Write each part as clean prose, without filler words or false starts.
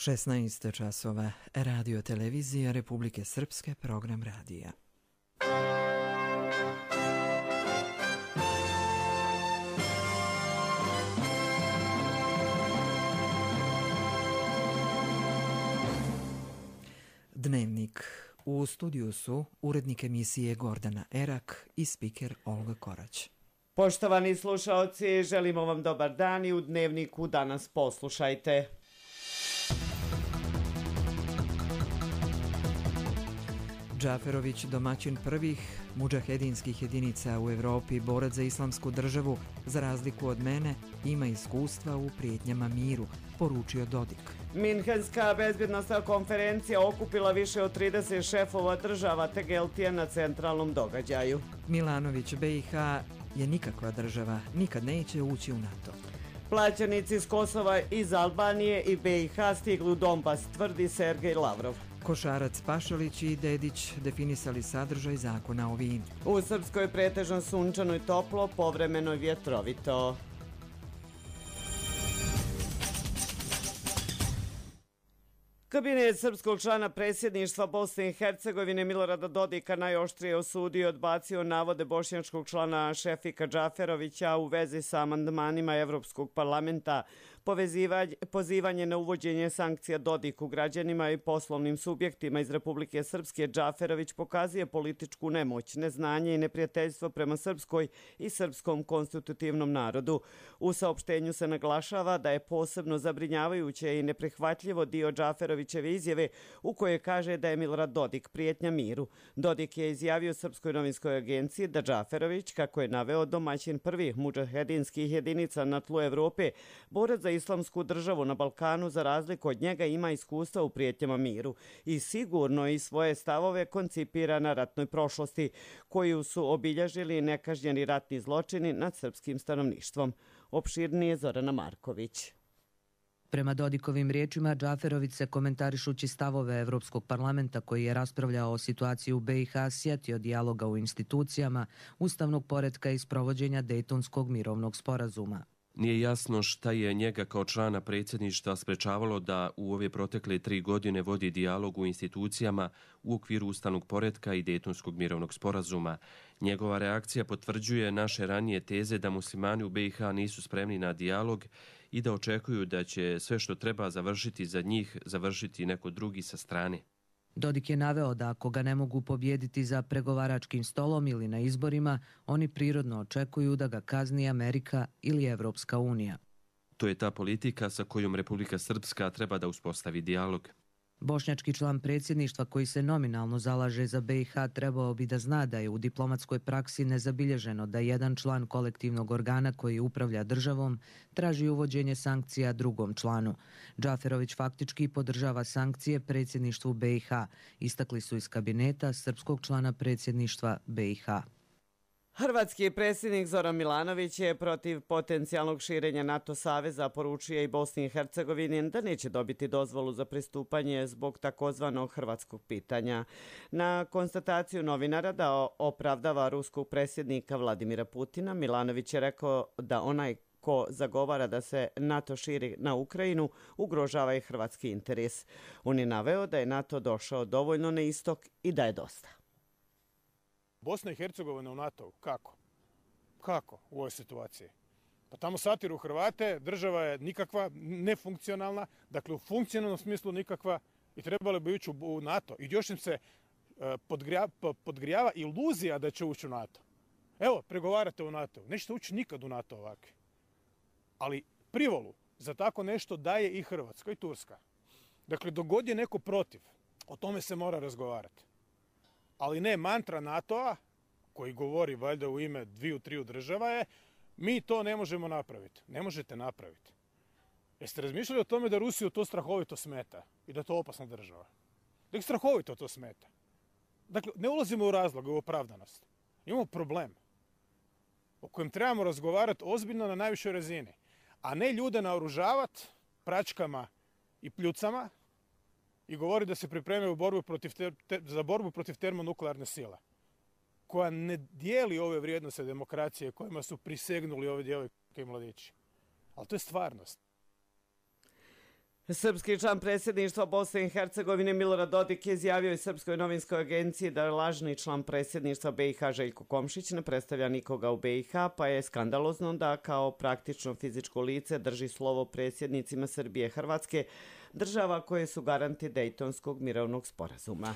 16 časova, Radio Televizija Republike Srpske, program radija. Dnevnik. U studiju su urednik emisije Gordana Erak i spiker Olga Korać. Poštovani slušaoci, želimo vam dobar dan i u Dnevniku danas poslušajte. Džaferović, domaćin prvih mudžahedinskih jedinica u Evropi, borac za islamsku državu, za razliku od mene, ima iskustva u prijetnjama miru, poručio Dodik. Minhenska bezbjednostna konferencija okupila više od 30 šefova država te Geltija na centralnom događaju. Milanović, BiH je nikakva država, nikad neće ući u NATO. Plaćenici iz Kosova, iz Albanije i BiH stigli u Donbas, tvrdi Sergej Lavrov. Košarac, Pašalić i Dedić definisali sadržaj zakona o vinu. U Srpskoj pretežno sunčano i toplo, povremeno vjetrovito. Kabinet srpskog člana predsjedništva Bosne i Hercegovine Milorada Dodika najoštrije osudio i odbacio navode bošnjačkog člana Šefika Džaferovića u vezi sa amandmanima Evropskog parlamenta, pozivanje na uvođenje sankcija Dodiku građanima i poslovnim subjektima iz Republike Srpske. Džaferović pokazuje političku nemoć, neznanje i neprijateljstvo prema Srpskoj i srpskom konstitutivnom narodu. U saopštenju se naglašava da je posebno zabrinjavajuće i neprihvatljivo dio Džaferovićeve izjave u kojoj kaže da je Milorad Dodik prijetnja miru. Dodik je izjavio Srpskoj novinskoj agenciji da Džaferović, kako je naveo, domaćin prvih mudžahedinskih jedinica na tlu Evrope, borac za islamsku državu na Balkanu, za razliku od njega ima iskustva u prijetnjama miru i sigurno i svoje stavove koncipira na ratnoj prošlosti, koju su obilježili nekažnjeni ratni zločini nad srpskim stanovništvom. Opširnije Zorana Marković. Prema Dodikovim riječima, Džaferović se, komentarišući stavove Evropskog parlamenta koji je raspravljao o situaciji u BiH, sjetio dijaloga u institucijama, ustavnog poretka i sprovođenja Dejtonskog mirovnog sporazuma. Nije jasno šta je njega kao člana predsjedništva sprečavalo da u ove protekle 3 godine vodi dijalog u institucijama u okviru ustavnog poretka i Dejtonskog mirovnog sporazuma. Njegova reakcija potvrđuje naše ranije teze da muslimani u BiH nisu spremni na dijalog i da očekuju da će sve što treba završiti za njih završiti neko drugi sa strane. Dodik je naveo da ako ga ne mogu pobijediti za pregovaračkim stolom ili na izborima, oni prirodno očekuju da ga kazni Amerika ili Evropska unija. To je ta politika sa kojom Republika Srpska treba da uspostavi dijalog. Bošnjački član predsjedništva koji se nominalno zalaže za BiH trebao bi da zna da je u diplomatskoj praksi nezabilježeno da jedan član kolektivnog organa koji upravlja državom traži uvođenje sankcija drugom članu. Džaferović faktički podržava sankcije predsjedništvu BiH, istakli su iz kabineta srpskog člana predsjedništva BiH. Hrvatski predsjednik Zoran Milanović je protiv potencijalnog širenja NATO saveza poručio i Bosni i Hercegovini da neće dobiti dozvolu za pristupanje zbog takozvanog hrvatskog pitanja. Na konstataciju novinara da opravdava ruskog predsjednika Vladimira Putina, Milanović je rekao da onaj ko zagovara da se NATO širi na Ukrajinu ugrožava i hrvatski interes. On je naveo da je NATO došao dovoljno na istok i da je dosta. Bosna i Hercegovina u NATO, kako? Kako u ovoj situaciji? Pa tamo satiru Hrvate, država je nikakva, nefunkcionalna, dakle u funkcionalnom smislu nikakva i trebali bi ući u NATO. I još im se podgrijava iluzija da će ući u NATO. Evo, pregovarate u NATO, nećete ući nikad u NATO ovakve. Ali privolu za tako nešto daje i Hrvatska i Turska. Dakle, dok god je neko protiv, o tome se mora razgovarati. Ali ne mantra NATO-a, koji govori valjda u ime 2-3 država je, mi to ne možemo napraviti. Ne možete napraviti. Jeste razmišljali o tome da Rusiju to strahovito smeta i da je to opasna država? Da ih strahovito to smeta. Dakle, ne ulazimo u razlog, u opravdanost. Imamo problem o kojem trebamo razgovarati ozbiljno na najvišoj razini, a ne ljude naoružavati pračkama i pljucama i govori da se pripremaju za borbu protiv termonuklearne sile, koja ne dijeli ove vrijednosti demokracije kojima su prisegnuli ove djevojke i mladići. Ali to je stvarnost. Srpski član predsjedništva Bosne i Hercegovine Milorad Dodik je izjavio i Srpskoj novinskoj agenciji da je lažni član predsjedništva BiH Željko Komšić ne predstavlja nikoga u BiH, pa je skandalozno da kao praktično fizičko lice drži slovo predsjednicima Srbije i Hrvatske, država koje su garanti Dejtonskog mirovnog sporazuma.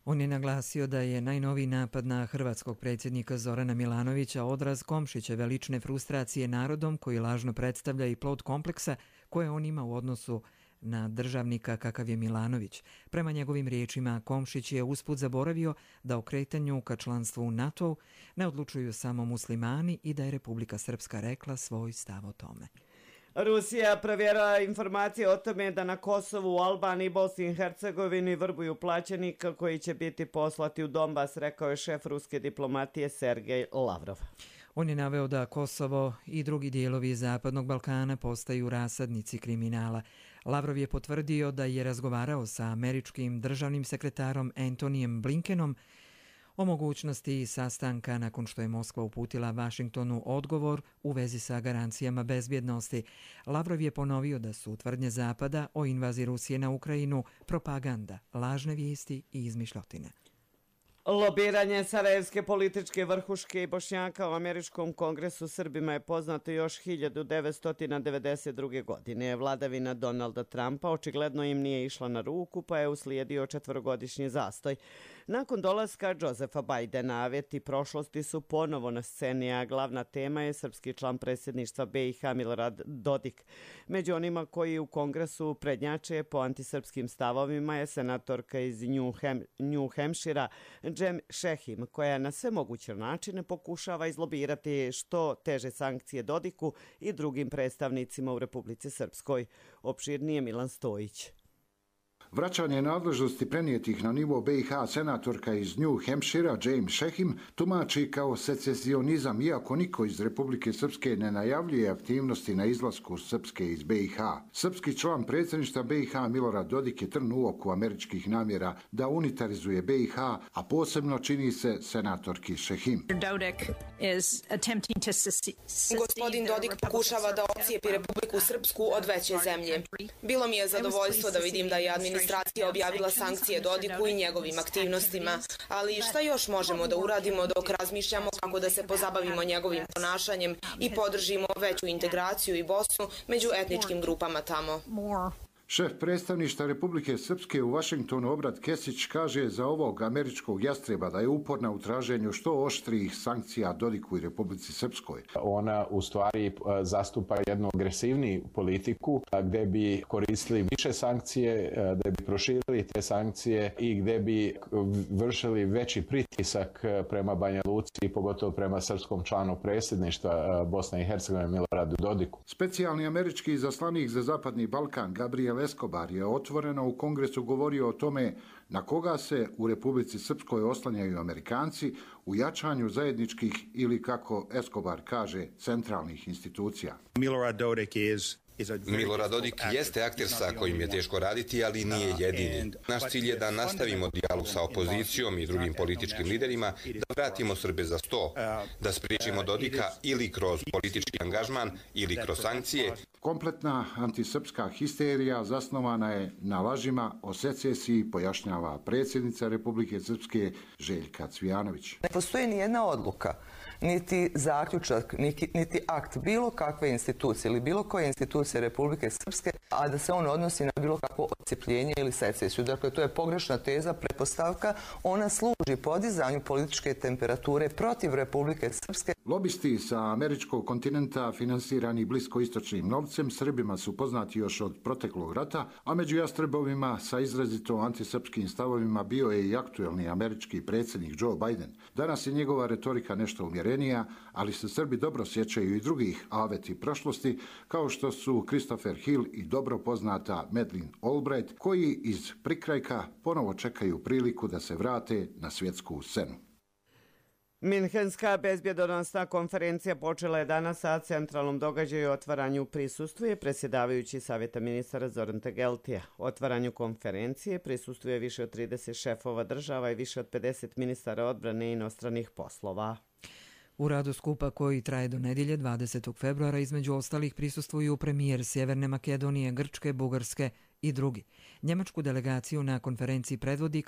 On je naglasio da je najnoviji napad na hrvatskog predsjednika Zorana Milanovića odraz Komšićeve lične frustracije narodom koji lažno predstavlja i plod kompleksa koje on ima u odnosu na državnika kakav je Milanović. Prema njegovim riječima, Komšić je usput zaboravio da o kretanju ka članstvu u NATO ne odlučuju samo muslimani i da je Republika Srpska rekla svoj stav o tome. Rusija provjerava informacije o tome da na Kosovu, Albaniji i Bosni i Hercegovini vrbuju plaćenika koji će biti poslati u Donbas, rekao je šef ruske diplomatije Sergej Lavrov. On je naveo da Kosovo i drugi dijelovi Zapadnog Balkana postaju rasadnici kriminala. Lavrov je potvrdio da je razgovarao sa američkim državnim sekretarom Antonijem Blinkenom o mogućnosti sastanka nakon što je Moskva uputila Vašingtonu odgovor u vezi sa garancijama bezbjednosti. Lavrov je ponovio da su tvrdnje Zapada o invaziji Rusije na Ukrajinu propaganda, lažne vijesti i izmišljotine. Lobiranje sarajevske političke vrhuške i Bošnjaka u Američkom kongresu Srbima je poznato još 1992. godine. Vladavina Donalda Trumpa očigledno im nije išla na ruku, pa je uslijedio 4-godišnji zastoj. Nakon dolaska Josefa Bajdena, aveti prošlosti su ponovo na sceni, a glavna tema je srpski član predsjedništva BiH Milorad Dodik. Među onima koji u kongresu prednjače po antisrpskim stavovima je senatorka iz New Hampshira Jem Šehim, koja na sve moguće načine pokušava izlobirati što teže sankcije Dodiku i drugim predstavnicima u Republici Srpskoj. Opširnije Milan Stojić. Vraćanje nadležnosti prenijetih na nivo BiH senatorka iz New Hampshira James Šehim tumači kao secesionizam, iako niko iz Republike Srpske ne najavljuje aktivnosti na izlasku Srpske iz BiH. Srpski član predsjedništva BiH Milorad Dodik je trn u oku američkih namjera da unitarizuje BiH, a posebno čini se senatorki Šehim. Gospodin Dodik pokušava da ocijepi Republiku Srpsku od veće zemlje. Bilo mi je zadovoljstvo da vidim da je administracija objavila sankcije Dodiku i njegovim aktivnostima, ali šta još možemo da uradimo dok razmišljamo kako da se pozabavimo njegovim ponašanjem i podržimo veću integraciju i Bosnu među etničkim grupama tamo. Šef predstavništva Republike Srpske u Vašingtonu Obrat Kesić kaže za ovog američkog jastreba da je uporna u traženju što oštrijih sankcija Dodiku i Republici Srpskoj. Ona u stvari zastupa jednu agresivniju politiku gdje bi koristili više sankcije, gdje bi proširili te sankcije i gdje bi vršili veći pritisak prema Banja Luci i pogotovo prema srpskom članu predsjedništva Bosne i Hercegovine Miloradu Dodiku. Specijalni američki izaslanik za Zapadni Balkan Gabriel Escobar je otvoreno u Kongresu govorio o tome na koga se u Republici Srpskoj oslanjaju Amerikanci u jačanju zajedničkih ili, kako Escobar kaže, centralnih institucija. Milorad Dodik jeste akter sa kojim je teško raditi, ali nije jedini. Naš cilj je da nastavimo dijalog sa opozicijom i drugim političkim liderima, da vratimo Srbe za sto, da spriječimo Dodika ili kroz politički angažman ili kroz sankcije. Kompletna antisrpska histerija zasnovana je na lažima o secesiji, pojašnjava predsjednica Republike Srpske Željka Cvijanović. Ne postoji ni jedna odluka, niti zaključak, niti akt bilo kakve institucije ili bilo koje institucije Republike Srpske, a da se on odnosi na bilo kakvo odcepljenje ili secesiju. Dakle, to je pogrešna teza, pretpostavka. Ona služi podizanju političke temperature protiv Republike Srpske. Lobisti sa američkog kontinenta finansirani bliskoistočnim novcem Srbima su poznati još od proteklog rata, a među jastrebovima sa izrazito antisrpskim stavovima bio je i aktuelni američki predsjednik Joe Biden. Danas je njegova retorika nešto umjerenija, ali se Srbi dobro sjećaju i drugih aveti prošlosti, kao što su Christopher Hill i dobro poznata Madeleine Albright, koji iz prikrajka ponovo čekaju priliku da se vrate na svjetsku scenu. Minhenska bezbjedonosna konferencija počela je danas, a centralnom događaju i otvaranju prisustvuje predsjedavajući Savjeta ministara Zoran Tegeltija. Otvaranju konferencije prisustvuje više od 30 šefova država i više od 50 ministara odbrane i inostranih poslova. U radu skupa koji traje do nedjelje 20. februara između ostalih prisustvuju premijer Sjeverne Makedonije, Grčke, Bugarske i drugi. Njemačku delegaciju na konferenciji predvodi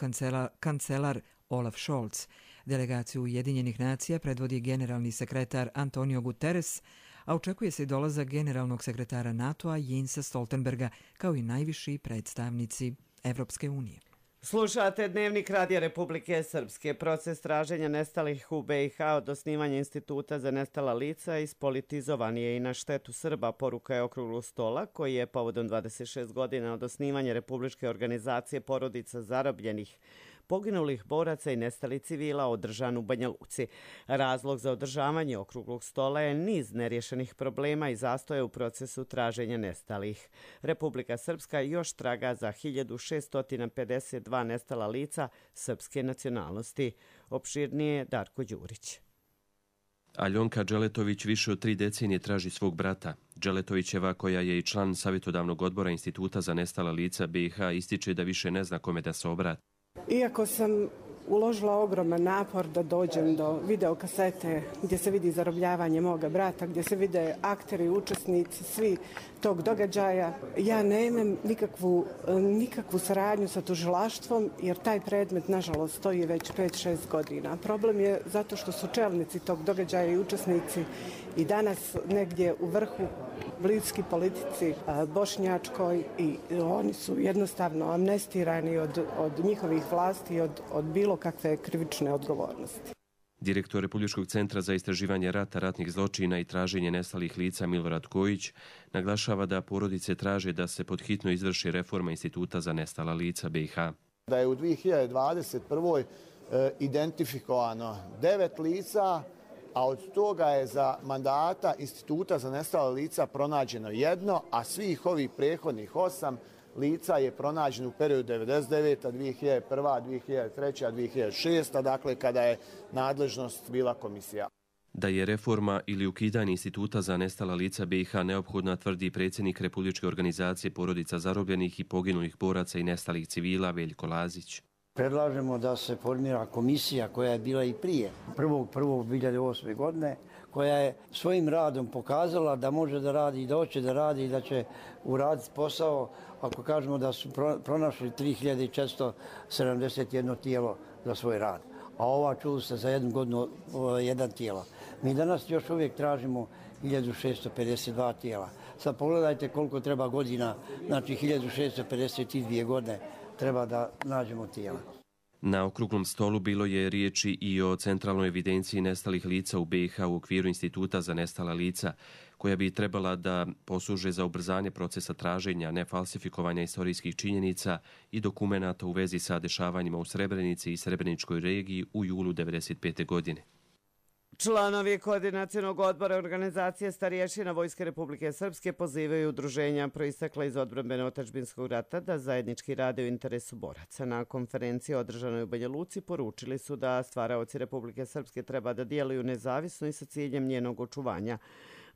kancelar Olaf Scholz. Delegaciju Ujedinjenih nacija predvodi generalni sekretar Antonio Guterres, a očekuje se i dolazak generalnog sekretara NATO-a Jensa Stoltenberga kao i najviši predstavnici Evropske unije. Slušate Dnevnik Radija Republike Srpske. Proces traženja nestalih u BiH od osnivanja Instituta za nestala lica ispolitizovan je i na štetu Srba, poruka je okruglog stola koji je povodom 26 godina od osnivanja Republičke organizacije porodica zarobljenih, poginulih boraca i nestalih civila održan u Banja Luci. Razlog za održavanje okruglog stola je niz nerješenih problema i zastoja u procesu traženja nestalih. Republika Srpska još traga za 1652 nestala lica srpske nacionalnosti. Opširnije Darko Đurić. Aljonka Dželetović više od 3 decenije traži svog brata. Dželetovićeva, koja je i član savjetodavnog odbora Instituta za nestala lica BiH, ističe da više ne zna kome da se obrati. Iako sam uložila ogroman napor da dođem do videokasete gdje se vidi zarobljavanje moga brata, gdje se vide akteri, učesnici, svi tog događaja, ja nemam nikakvu saradnju sa tužilaštvom jer taj predmet, nažalost, stoji već 5-6 godina. Problem je zato što su čelnici tog događaja i učesnici i danas negdje u vrhu bliski politici bošnjačkoj i oni su jednostavno amnestirani od njihovih vlasti, od bilo kakve krivične odgovornosti. Direktor Republičkog centra za istraživanje rata, ratnih zločina i traženje nestalih lica Milorad Kojić naglašava da porodice traže da se pod hitno izvrši reforma Instituta za nestala lica BiH. Da je u 2021. identifikovano 9 lica, a od toga je za mandata Instituta za nestala lica pronađeno 1, a svih ovih prethodnih 8 lica je pronađeno u periodu 1999. 2001. 2003. 2006. Dakle, kada je nadležnost bila komisija. Da je reforma ili ukidanje Instituta za nestala lica BiH neophodna, tvrdi predsjednik Republičke organizacije porodica zarobljenih i poginulih boraca i nestalih civila Veljko Lazić. Predlažemo da se formira komisija koja je bila i prije 1.1.2008. godine, koja je svojim radom pokazala da može da radi i da hoće da radi i da će uraditi posao, ako kažemo da su pronašli 3471 tijelo za svoj rad. A ova čuli se za jednu godinu jedan tijelo. Mi danas još uvijek tražimo 1652 tijela. Sad pogledajte koliko treba godina, znači 1652 godine treba da nađemo tijela. Na okruglom stolu bilo je riječi i o centralnoj evidenciji nestalih lica u BiH u okviru Instituta za nestala lica, koja bi trebala da posluže za ubrzanje procesa traženja, nefalsifikovanja istorijskih činjenica i dokumenata u vezi sa dešavanjima u Srebrenici i Srebreničkoj regiji u julu 1995. godine. Članovi Koordinacionog odbora organizacije starješina Vojske Republike Srpske pozivaju udruženja proistekla iz odbrambeno otadžbinskog rata da zajednički rade u interesu boraca. Na konferenciji održanoj u Banja Luci poručili su da stvaraoci Republike Srpske treba da djeluju nezavisno i sa ciljem njenog očuvanja.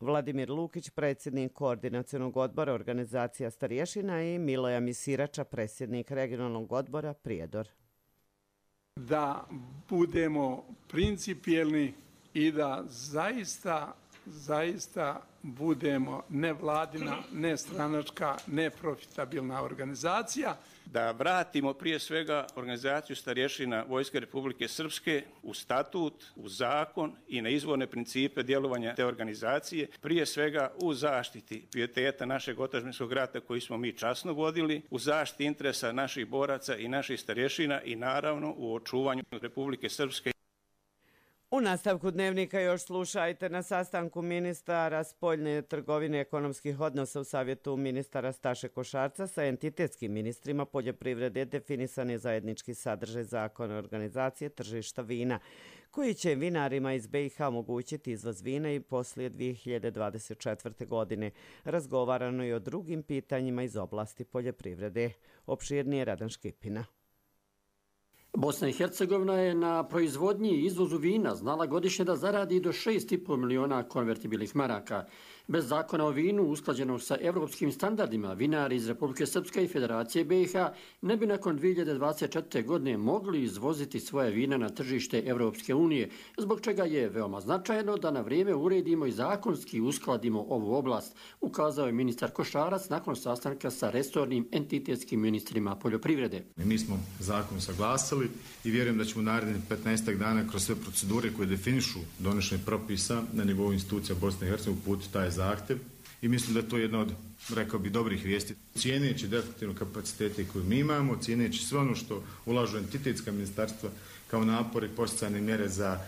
Vladimir Lukić, predsjednik Koordinacionog odbora organizacija starješina, i Miloja Misirača, predsjednik regionalnog odbora Prijedor. Da budemo principijelni i da zaista budemo nevladina, nestranačka, neprofitabilna organizacija. Da vratimo prije svega organizaciju starješina Vojske Republike Srpske u statut, u zakon i na izvorne principe djelovanja te organizacije, prije svega u zaštiti pijeteta našeg otadžbinskog rata koji smo mi časno vodili, u zaštiti interesa naših boraca i naših starješina i naravno u očuvanju Republike Srpske. U nastavku Dnevnika još slušajte. Na sastanku ministara spoljne trgovine i ekonomskih odnosa u Savjetu ministara Staše Košarca sa entitetskim ministrima poljoprivrede definisan je zajednički sadržaj zakona organizacije tržišta vina, koji će vinarima iz BiH omogućiti izvoz vina i poslije 2024. godine. Razgovarano je o drugim pitanjima iz oblasti poljoprivrede. Opširnije Radan Škipina. Bosna i Hercegovina je na proizvodnji i izvozu vina znala godišnje da zaradi do 6,5 miliona konvertibilnih maraka. Bez zakona o vinu usklađenog sa evropskim standardima, vinari iz Republike Srpske i Federacije BiH ne bi nakon 2024. godine mogli izvoziti svoje vina na tržište Evropske unije, zbog čega je veoma značajno da na vrijeme uredimo i zakonski uskladimo ovu oblast, ukazao je ministar Košarac nakon sastanka sa resornim entitetskim ministrima poljoprivrede. Mi smo zakon saglasili i vjerujem da ćemo u narednih 15 dana kroz sve procedure koje definišu donošenje propisa na nivou institucija Bosne i Hercegovine uputiti taj zahtjev i mislim da je to jedna od, rekao bi, dobrih vijesti. Cijeneći definitivno kapacitete koje mi imamo, cijeneći sve ono što ulažu entitetska ministarstva kao napore i podsticajne mjere za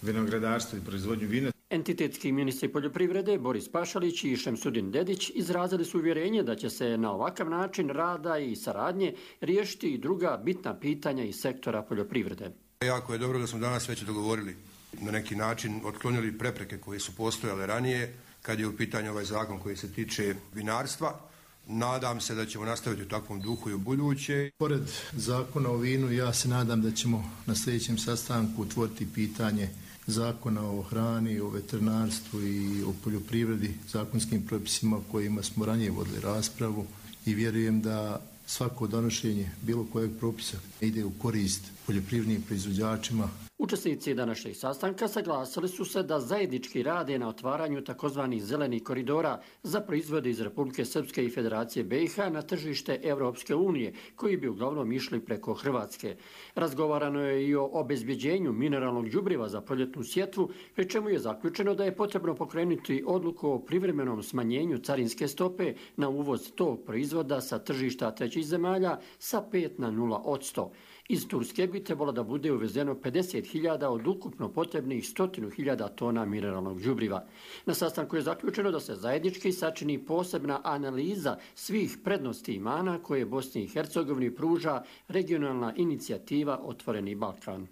vinogradarstvo i proizvodnju vina. Entitetski ministri poljoprivrede Boris Pašalić i Šemsudin Dedić izrazili su uvjerenje da će se na ovakav način rada i saradnje riješiti i druga bitna pitanja iz sektora poljoprivrede. Jako je dobro da smo danas već dogovorili, na neki način otklonili prepreke koje su postojale ranije kad je u pitanju ovaj zakon koji se tiče vinarstva. Nadam se da ćemo nastaviti u takvom duhu i u buduće. Pored zakona o vinu, ja se nadam da ćemo na sljedećem sastanku otvoriti pitanje zakona o hrani, o veterinarstvu i o poljoprivredi, zakonskim propisima kojima smo ranije vodili raspravu i vjerujem da svako donošenje bilo kojeg propisa ide u korist poljoprivrednim proizvođačima. Učesnici današnjeg sastanka saglasili su se da zajednički rade na otvaranju takozvanih zelenih koridora za proizvode iz Republike Srpske i Federacije BiH na tržište Evropske unije, koji bi uglavnom išli preko Hrvatske. Razgovarano je i o obezbjeđenju mineralnog đubriva za proljetnu sjetvu, pri čemu je zaključeno da je potrebno pokrenuti odluku o privremenom smanjenju carinske stope na uvoz tog proizvoda sa tržišta trećih zemalja sa 5 na 0%. Iz Turske bi trebalo da bude uvezeno 50.000 od ukupno potrebnih 100.000 tona mineralnog đubriva. Na sastanku je zaključeno da se zajednički sačini posebna analiza svih prednosti i mana koje Bosni i Hercegovini pruža regionalna inicijativa Otvoreni Balkan.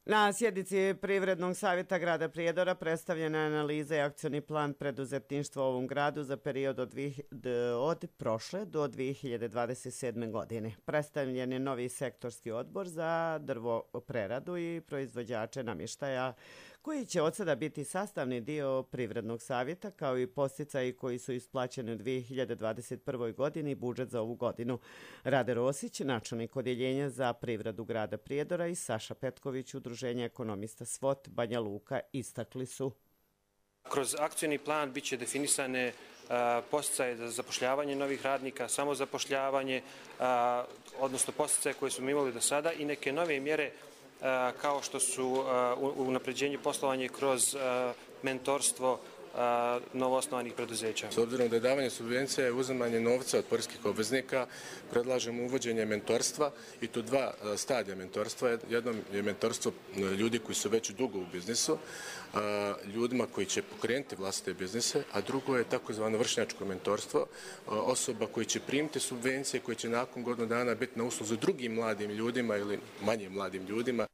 Na sjednici Privrednog savjeta grada Prijedora predstavljena je analiza i akcioni plan preduzetništva u ovom gradu za period od prošle do 2027. godine. Predstavljen je novi sektorski odbor za drvopreradu i proizvođače namještaja, koji će od sada biti sastavni dio Privrednog savjeta, kao i podsticaji koji su isplaćeni u 2021. godini i budžet za ovu godinu. Rade Rosić, načelnik odjeljenja za privredu grada Prijedora, i Saša Petković, udruženje ekonomista SWOT Banja Luka, istakli su. Kroz akcioni plan biće definisane podsticaje za zapošljavanje novih radnika, samozapošljavanje, odnosno podsticaje koje smo imali do sada i neke nove mjere kao što su unapređenje poslovanja kroz mentorstvo novoosnovanih preduzeća. S obzirom da je davanje subvencija je uzimanje novca od poreskih obveznika, predlažemo uvođenje mentorstva i to dva stadija mentorstva. Jedno je mentorstvo ljudi koji su već dugo u biznisu, ljudima koji će pokrenuti vlastite biznise, a drugo je takozvano vršnjačko mentorstvo, osoba koji će primiti subvencije, koji će nakon godinu dana biti na usluzi drugim mladim ljudima ili manje mladim ljudima.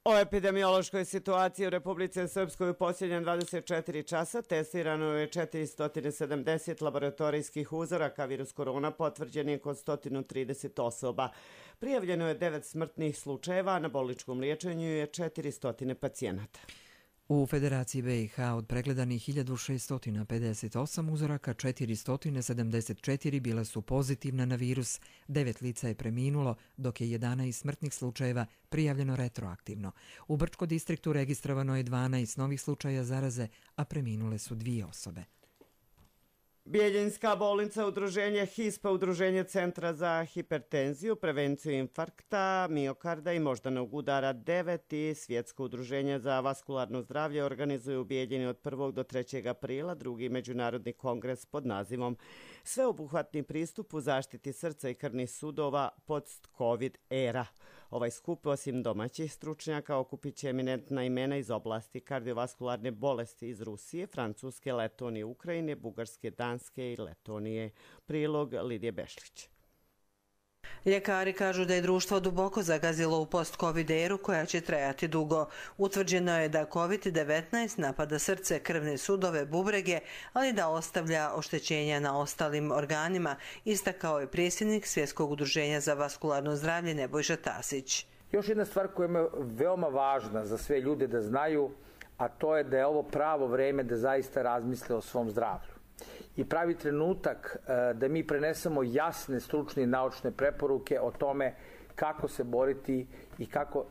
O epidemiološkoj situaciji u Republici Srpskoj u posljednjem 24 časa testirano je 470 laboratorijskih uzoraka. Virus korona potvrđen je kod 130 osoba. Prijavljeno je 9 smrtnih slučajeva, na bolničkom liječenju je 400 pacijenata. U Federaciji BiH od pregledanih 1658 uzoraka 474 bila su pozitivna na virus, 9 lica je preminulo, dok je 11 smrtnih slučajeva prijavljeno retroaktivno. U Brčko distriktu registrovano je 12 novih slučaja zaraze, a preminule su 2 osobe. Bijeljinska bolnica, udruženje HISPA, udruženje Centra za hipertenziju, prevenciju infarkta, miokarda i moždanog udara 9 i Svjetsko udruženje za vaskularno zdravlje organizuju u Bijeljini od 1. do 3. aprila drugi međunarodni kongres pod nazivom Sveobuhvatni pristup u zaštiti srca i krvnih sudova post-COVID era. Ovaj skup, osim domaćih stručnjaka, okupit će eminentna imena iz oblasti kardiovaskularne bolesti iz Rusije, Francuske, Letonije, Ukrajine, Bugarske, Danske i Letonije. Prilog Lidije Bešlić. Ljekari kažu da je društvo duboko zagazilo u post-COVID eru koja će trajati dugo. Utvrđeno je da COVID-19 napada srce, krvne sudove, bubrege, ali da ostavlja oštećenja na ostalim organima, istakao je predsjednik Svjetskog udruženja za vaskularno zdravlje Nebojša Tasić. Još jedna stvar koja je veoma važna za sve ljude da znaju, a to je da je ovo pravo vreme da zaista razmisle o svom zdravlju. I pravi trenutak da mi prenesemo jasne, stručne i naučne preporuke o tome kako se boriti i kako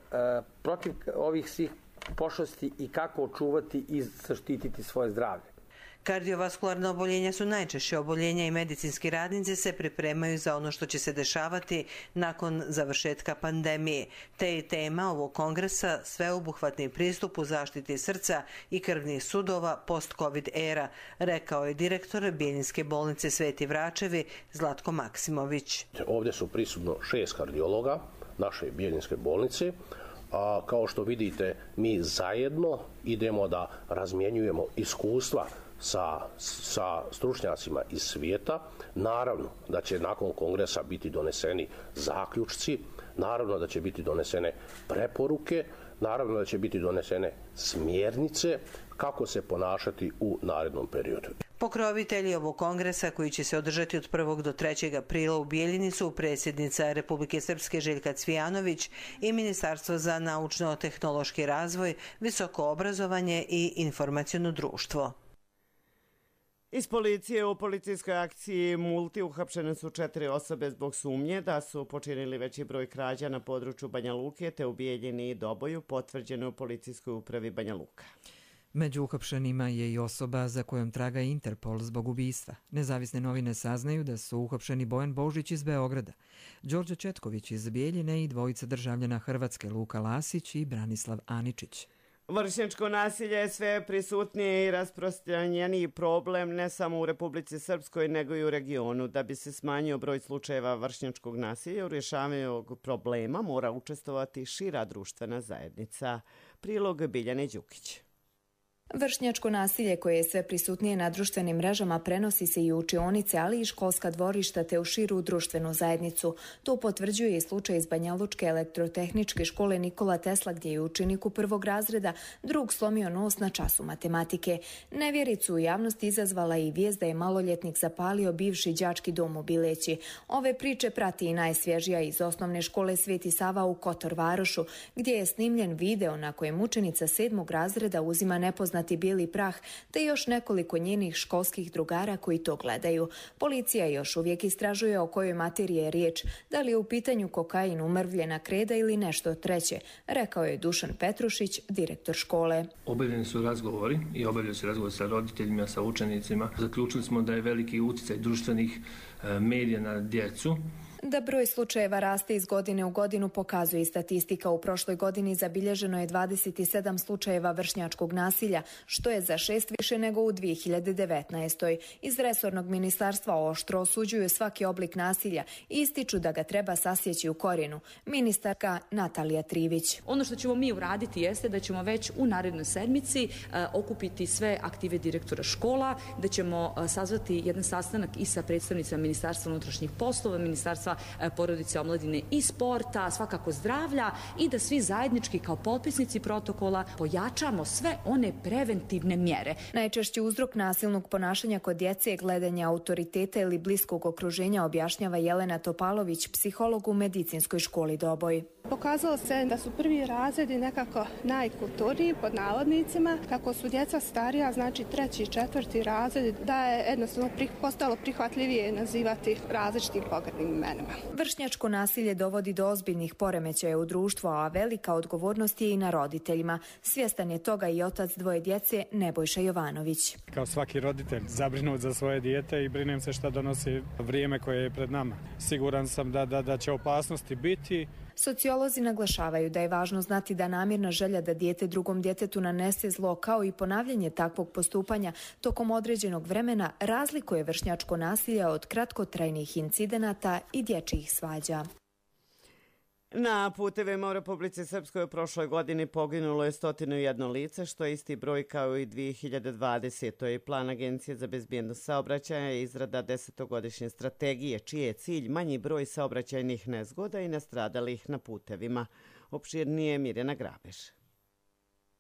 protiv ovih svih pošasti i kako očuvati i zaštititi svoje zdravlje. Kardiovaskularna oboljenja su najčešće oboljenja i medicinski radnici se pripremaju za ono što će se dešavati nakon završetka pandemije. Te je tema ovog kongresa sveobuhvatni pristup u zaštiti srca i krvnih sudova post-covid era, rekao je direktor Bjeljinske bolnice Sveti Vračevi Zlatko Maksimović. Ovdje su prisutno 6 kardiologa naše Bjeljinske bolnice. A kao što vidite, mi zajedno idemo da razmjenjujemo iskustva sa stručnjacima iz svijeta. Naravno da će nakon kongresa biti doneseni zaključci, naravno da će biti donesene preporuke, naravno da će biti donesene smjernice kako se ponašati u narednom periodu. Pokrovitelji ovog kongresa, koji će se održati od 1. do 3. aprila u Bijeljini, su predsjednica Republike Srpske Željka Cvijanović i Ministarstvo za naučno-tehnološki razvoj, visoko obrazovanje i informaciono društvo. Iz policije u policijskoj akciji Multi uhapšene su 4 osobe zbog sumnje da su počinili veći broj krađa na području Banja Luke te u Bijeljini i Doboju, potvrđeno u policijskoj upravi Banja Luka. Među uhapšenima je i osoba za kojom traga Interpol zbog ubistva. Nezavisne novine saznaju da su uhapšeni Bojan Božić iz Beograda, Đorđe Četković iz Bijeljine i dvojica državljana Hrvatske Luka Lasić i Branislav Aničić. Vršnjačko nasilje je sve prisutnije i rasprostranjeniji problem ne samo u Republici Srpskoj nego i u regionu. Da bi se smanjio broj slučajeva vršnjačkog nasilja u rješavanju ovog problema mora učestvovati šira društvena zajednica. Prilog Biljane Đukić. Vršnjačko nasilje koje je sve prisutnije na društvenim mrežama prenosi se i u učionice, ali i školska dvorišta te u širu društvenu zajednicu. To potvrđuje i slučaj iz Banjalučke elektrotehničke škole Nikola Tesla, gdje je učeniku 1. razreda drug slomio nos na času matematike. Nevjericu u javnosti izazvala i vijest da je maloljetnik zapalio bivši đački dom u Bileći. Ove priče prati i najsvježija iz osnovne škole Sveti Sava u Kotor Varošu, gdje je snimljen video na kojem učenica 7. razreda uzima nepoznati bijeli prah, te još nekoliko njenih školskih drugara koji to gledaju. Policija još uvijek istražuje o kojoj materiji je riječ, da li je u pitanju kokain, umrvljena kreda ili nešto treće, rekao je Dušan Petrušić, direktor škole. Obavljeni su razgovori i obavljaju se razgovori sa roditeljima, sa učenicima. Zaključili smo da je veliki utjecaj društvenih medija na djecu. Da broj slučajeva raste iz godine u godinu pokazuje i statistika. U prošloj godini zabilježeno je 27 slučajeva vršnjačkog nasilja, što je za 6 više nego u 2019. Iz resornog ministarstva oštro osuđuju svaki oblik nasilja i ističu da ga treba sasjeći u korijenu. Ministarka Natalija Trivić. Ono što ćemo mi uraditi jeste da ćemo već u narednoj sedmici okupiti sve aktive direktora škola, da ćemo sazvati jedan sastanak i sa predstavnicama Ministarstva unutrašnjih poslova, Ministarstva porodice, omladine i sporta, svakako zdravlja, i da svi zajednički kao potpisnici protokola pojačamo sve one preventivne mjere. Najčešći uzrok nasilnog ponašanja kod djece je gledanje autoriteta ili bliskog okruženja, objašnjava Jelena Topalović, psiholog u medicinskoj školi Doboj. Pokazalo se da su prvi razredi nekako najkulturniji, pod navodnicima, kako su djeca starija, znači 3. i 4. razred, da je jednostavno postalo prihvatljivije nazivati različitim pogrdnim imenima. Vršnjačko nasilje dovodi do ozbiljnih poremećaja u društvu, a velika odgovornost je i na roditeljima. Svjestan je toga i otac 2 djece, Nebojša Jovanović. Kao svaki roditelj, zabrinut za svoje dijete i brinem se šta donosi vrijeme koje je pred nama. Siguran sam da će opasnosti biti. Sociolozi naglašavaju da je važno znati da namjerna želja da dijete drugom djetetu nanese zlo, kao i ponavljanje takvog postupanja tokom određenog vremena, razlikuje vršnjačko nasilje od kratkotrajnih incidenata i dječjih svađa. Na putevima u Republici Srpskoj u prošloj godini poginulo je 101 lice, što je isti broj kao i 2020. Plan Agencije za bezbjednost saobraćaja je izrada 10-godišnje strategije, čiji je cilj manji broj saobraćajnih nezgoda i nastradalih na putevima. Opširnije Mirjana Grabež.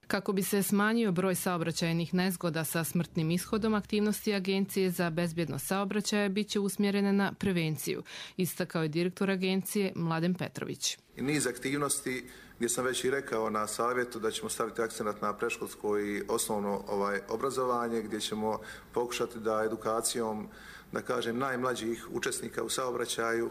Kako bi se smanjio broj saobraćajnih nezgoda sa smrtnim ishodom, aktivnosti Agencije za bezbjednost saobraćaja bit će usmjerene na prevenciju, istakao je direktor agencije Mladen Petrović. I niz aktivnosti gdje sam već i rekao na savjetu da ćemo staviti akcenat na predškolsko i osnovno obrazovanje, gdje ćemo pokušati da edukacijom, da kažem, najmlađih učesnika u saobraćaju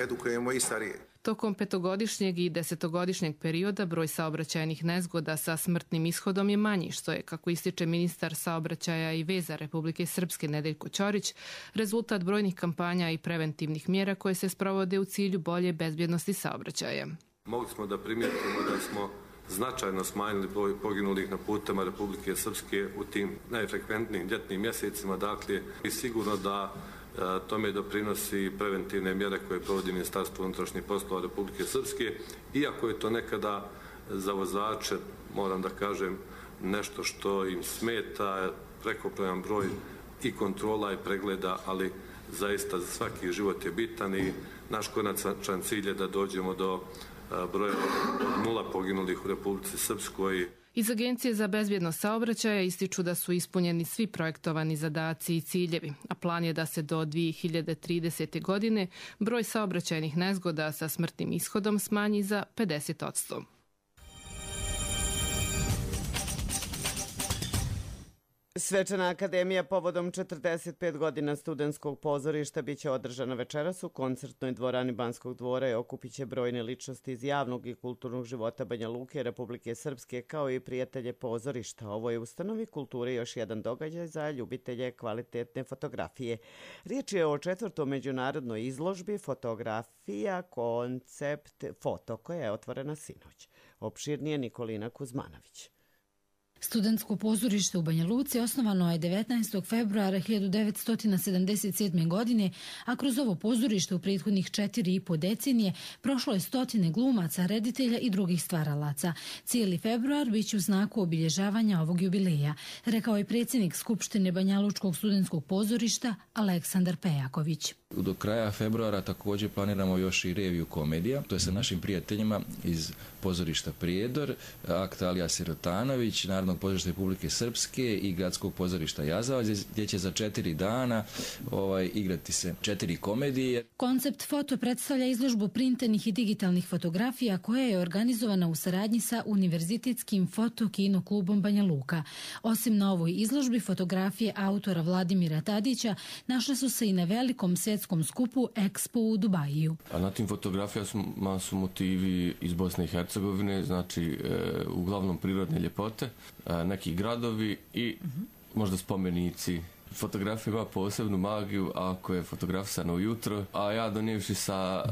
edukujemo i starije. Tokom 5-godišnjeg i 10-godišnjeg perioda broj saobraćajnih nezgoda sa smrtnim ishodom je manji, što je, kako ističe ministar saobraćaja i veza Republike Srpske Nedeljko Ćorić, rezultat brojnih kampanja i preventivnih mjera koje se sprovode u cilju bolje bezbjednosti saobraćaja. Mogli smo da primijetimo da smo značajno smanjili broj poginulih na putama Republike Srpske u tim najfrekventnijim ljetnim mjesecima, dakle i sigurno da tome doprinosi preventivne mjere koje provodi Ministarstvo unutrašnjih poslova Republike Srpske, iako je to nekada za vozače, moram da kažem, nešto što im smeta, prekobrojni broj i kontrola i pregleda, ali zaista za svaki život je bitan i naš konačan cilj je da dođemo do broja od 0 poginulih u Republici Srpskoj. Iz Agencije za bezbjednost saobraćaja ističu da su ispunjeni svi projektovani zadaci i ciljevi, a plan je da se do 2030. godine broj saobraćajnih nezgoda sa smrtnim ishodom smanji za 50%. Svečana akademija povodom 45 godina studentskog pozorišta biće održana večeras u koncertnoj dvorani Banskog dvora i okupit će brojne ličnosti iz javnog i kulturnog života Banja Luke i Republike Srpske, kao i prijatelje pozorišta. Ovo je ustanovi kulture još jedan događaj za ljubitelje kvalitetne fotografije. Riječ je o 4. međunarodnoj izložbi fotografija koncept foto koja je otvorena sinoć. Opširnije Nikolina Kuzmanović. Studentsko pozorište u Banja Luci osnovano je 19. februara 1977. godine, a kroz ovo pozorište u prethodnih 4,5 decenije prošlo je stotine glumaca, reditelja i drugih stvaralaca. Cijeli februar biće u znaku obilježavanja ovog jubileja, rekao je predsjednik Skupštine Banjalučkog studentskog pozorišta Aleksandar Pejaković. Do kraja februara također planiramo još i reviju komedija, to je sa našim prijateljima iz pozorišta Prijedor, Akt Alija Sirotanović, Narodnog pozorišta Republike Srpske i Gradskog pozorišta Jazavac, gdje će za 4 dana igrati se 4 komedije. Koncept foto predstavlja izložbu printenih i digitalnih fotografija koja je organizovana u saradnji sa Univerzitetskim foto-kino klubom Banja Luka. Osim na ovoj izložbi, fotografije autora Vladimira Tadića našle su se i na velikom svjetskom skupu Expo u Dubaju. A na tim fotografijama su motivi iz Bosne i Hercegovine, znači uglavnom prirodne ljepote, neki gradovi i možda spomenici. Fotografija ima posebnu magiju ako je fotografisana ujutro, a ja donijevši sa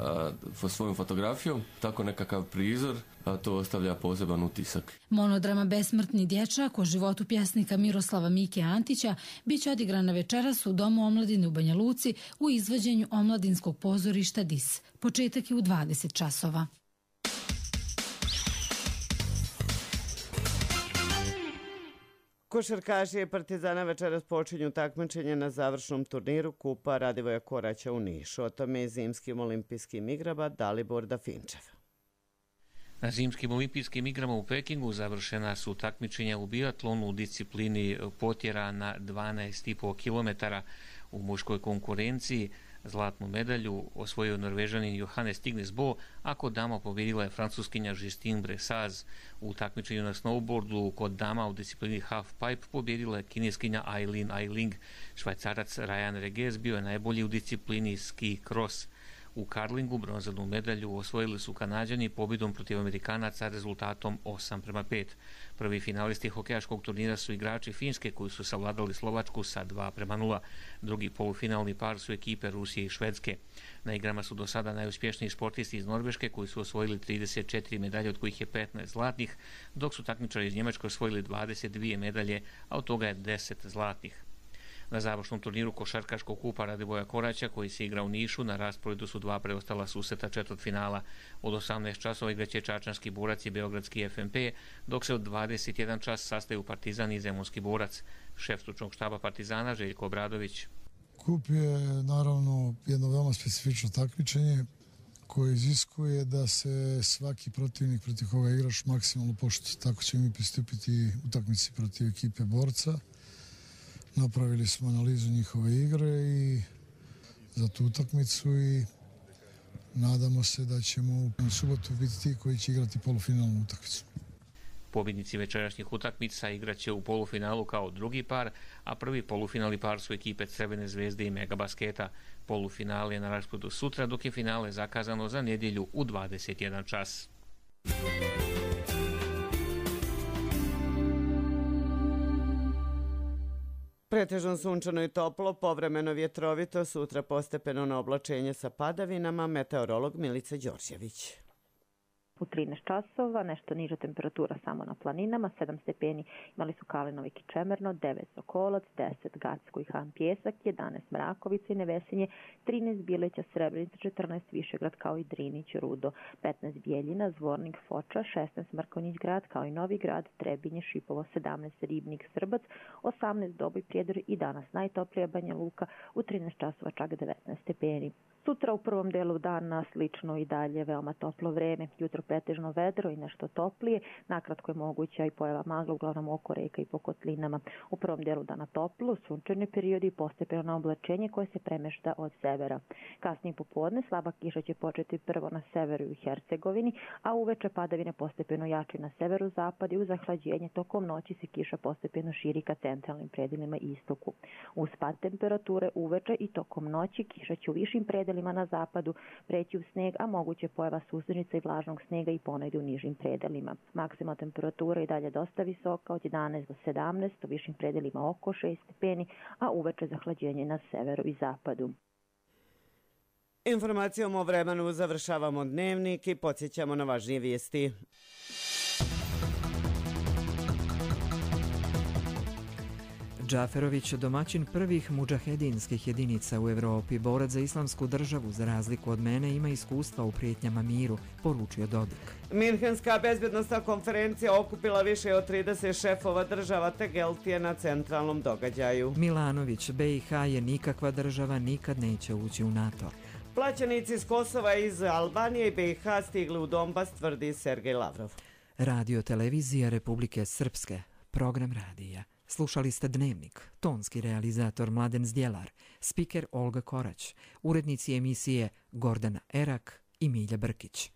svojom fotografijom tako nekakav prizor, to ostavlja poseban utisak. Monodrama Besmrtni dječak o životu pjesnika Miroslava Mike Antića biće odigrana večeras u Domu omladine u Banja Luci u izvođenju omladinskog pozorišta DIS. Početak je u 20 časova. Košarkaši Partizana večeras počinju takmičenje na završnom turniru Kupa Radivoja Koraća u Nišu. O tome je zimskim olimpijskim igrama Dalibor Dafinčev. Na zimskim olimpijskim igrama u Pekingu završena su takmičenja u biatlonu u disciplini potjera na 12,5 km. U muškoj konkurenciji zlatnu medalju osvojio Norvežanin Johannes Tignes-Bo, a kod dama pobjedila je Francuskinja Justine Bressaz. U takmičenju na snowboardu kod dama u disciplini halfpipe pobjedila je kineskinja Aileen Ailing. Švajcarac Ryan Reges bio je najbolji u disciplini ski cross. U karlingu bronzanu medalju osvojili su Kanađani pobjedom protiv Amerikanaca rezultatom 8:5. Prvi finalisti hokejaškog turnira su igrači Finske koji su savladali Slovačku sa 2:0. Drugi polufinalni par su ekipe Rusije i Švedske. Na igrama su do sada najuspješniji sportisti iz Norveške koji su osvojili 34 medalje, od kojih je 15 zlatnih, dok su takmičari iz Njemačke osvojili 22 medalje, a od toga je 10 zlatnih. Na završnom turniru košarkaškog kupa Radivoja Koraća, koji se igra u Nišu, na rasporedu su 2 preostala susreta četvrtfinala. Od 18 časova igraće Čačanski borac i Beogradski FNP, dok se od 21 čas sastaju Partizan i Zemunski borac. Šef stručnog štaba Partizana Željko Obradović. Kup je naravno jedno veoma specifično takmičenje koje iziskuje da se svaki protivnik protiv koga igraš maksimalno poštuje. Tako ćemo mi pristupiti utakmici protiv ekipe Borca. Napravili smo analizu njihove igre i za tu utakmicu i nadamo se da ćemo u subotu biti ti koji će igrati polufinalnu utakmicu. Pobjednici večerašnjih utakmica igraće u polufinalu kao drugi par, a prvi polufinalni par su ekipe Crvene zvezde i Megabasketa. Polufinale je na rasporedu sutra, dok je finale zakazano za nedjelju u 21 čas. Pretežno sunčano i toplo, povremeno vjetrovito, sutra postepeno na oblačenje sa padavinama, meteorolog Milica Đorđević. U 13 časova, nešto niža temperatura samo na planinama, 7 stepeni imali su Kalinovik i Čemerno, 9 Sokolac, 10 Gacko i Han Pjesak, 11 Mrakovica i Nevesinje, 13 Bileća, Srebrenica, 14 Višegrad kao i Drinić, Rudo, 15 Bijeljina, Zvornik, Foča, 16 Mrkonjić grad kao i Novi grad, Trebinje, Šipovo, 17 Ribnik, Srbac, 18 Doboj, Prijedor i danas najtoplija Banja Luka, u 13 časova čak 19 stepeni. Sutra u prvom delu dana slično i dalje veoma toplo vreme, jutro pretežno vedro i nešto toplije, nakratko je moguća i pojava magla uglavnom oko reka i po kotlinama. U prvom delu dana toplo, sunčani periodi i postepeno na oblačenje koje se premešta od severa. Kasnije popodne slaba kiša će početi prvo na severu i Hercegovini, a uveče padavine postepeno jače na severu zapad i uz zahlađenje tokom noći se kiša postepeno širi ka centralnim predelima i istoku. Uz pad temperature uveče i tokom noći kiša će u višim predelima na zapadu preći u sneg, a moguće pojava susrnica i vlažnog snega i ponegdje u nižim predelima. Maksimalna temperatura i dalje dosta visoka od 11 do 17, u višim predelima oko 6 stepeni, a uveče zahlađenje na severu i zapadu. Informacijom o vremenu završavamo dnevnik i podsjećamo na važnije vijesti. Džaferović, domaćin prvih mudžahedinskih jedinica u Evropi, borac za islamsku državu, za razliku od mene, ima iskustva u prijetnjama miru, poručio Dodik. Minhenska bezbjednostna konferencija okupila više od 30 šefova država te Geltije na centralnom događaju. Milanović, BiH je nikakva država, nikad neće ući u NATO. Plaćenici iz Kosova i iz Albanije i BiH stigli u Donbas, tvrdi Sergej Lavrov. Radio televizija Republike Srpske, program radija. Slušali ste Dnevnik, tonski realizator Mladen Zdjelar, spiker Olga Korać, urednici emisije Gordana Erak i Milja Brkić.